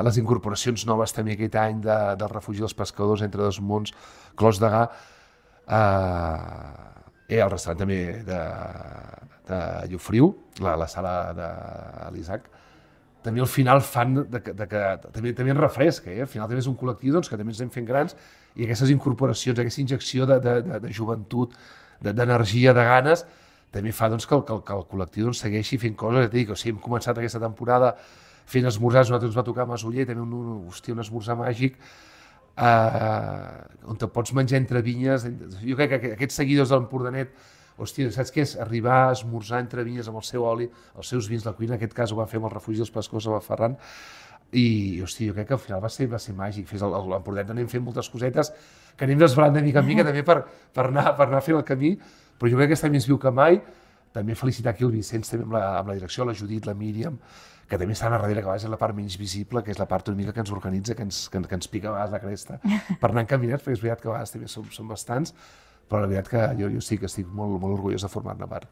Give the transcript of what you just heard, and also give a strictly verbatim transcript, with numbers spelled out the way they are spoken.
Les incorporacions noves també aquest any de, del refugi dels pescadors entre dos mons, Clos de Gà, eh, el restaurant també de, de Llofriu, la, la sala de l'Isaac, també al final fan de, de, de que també, també ens refresca, eh? Al final també és un col·lectiu doncs, que també ens anem fent grans i aquestes incorporacions, aquesta injecció de, de, de, de joventut, d'energia, de, de ganes, també fa doncs, que, el, que, el, que el col·lectiu doncs, segueixi fent coses. Dic, o sigui, hem començat aquesta temporada fent esmorzars, nosaltres ens va tocar a Masoller, també un, un, hòstia, un esmorzar màgic, eh, on te pots menjar entre vinyes. Jo crec que aquests seguidors de l'Empordanet, hòstia, saps què és? Arribar a esmorzar entre vinyes amb el seu oli, els seus vins, la cuina, en aquest cas ho va fer amb el refugi dels pescadors a Ferran, i hòstia, jo crec que al final va ser, va ser màgic. A l'Empordanet anem fent moltes cosetes que anem desvelant de mica en mica també per, per, anar, per anar fent el camí, però jo crec que aquest any més viu que mai. També felicitar aquí el Vicenç, també amb la, amb la direcció, la Judit, la Míriam, que també estan a darrere, que a vegades és la part menys visible, que és la part una mica que ens organitza, que ens, que, que ens pica a vegades la cresta per anar encaminats, perquè és veritat que a vegades també som, som bastants, però la veritat que jo, jo sí que estic molt, molt orgullós de formar-ne part.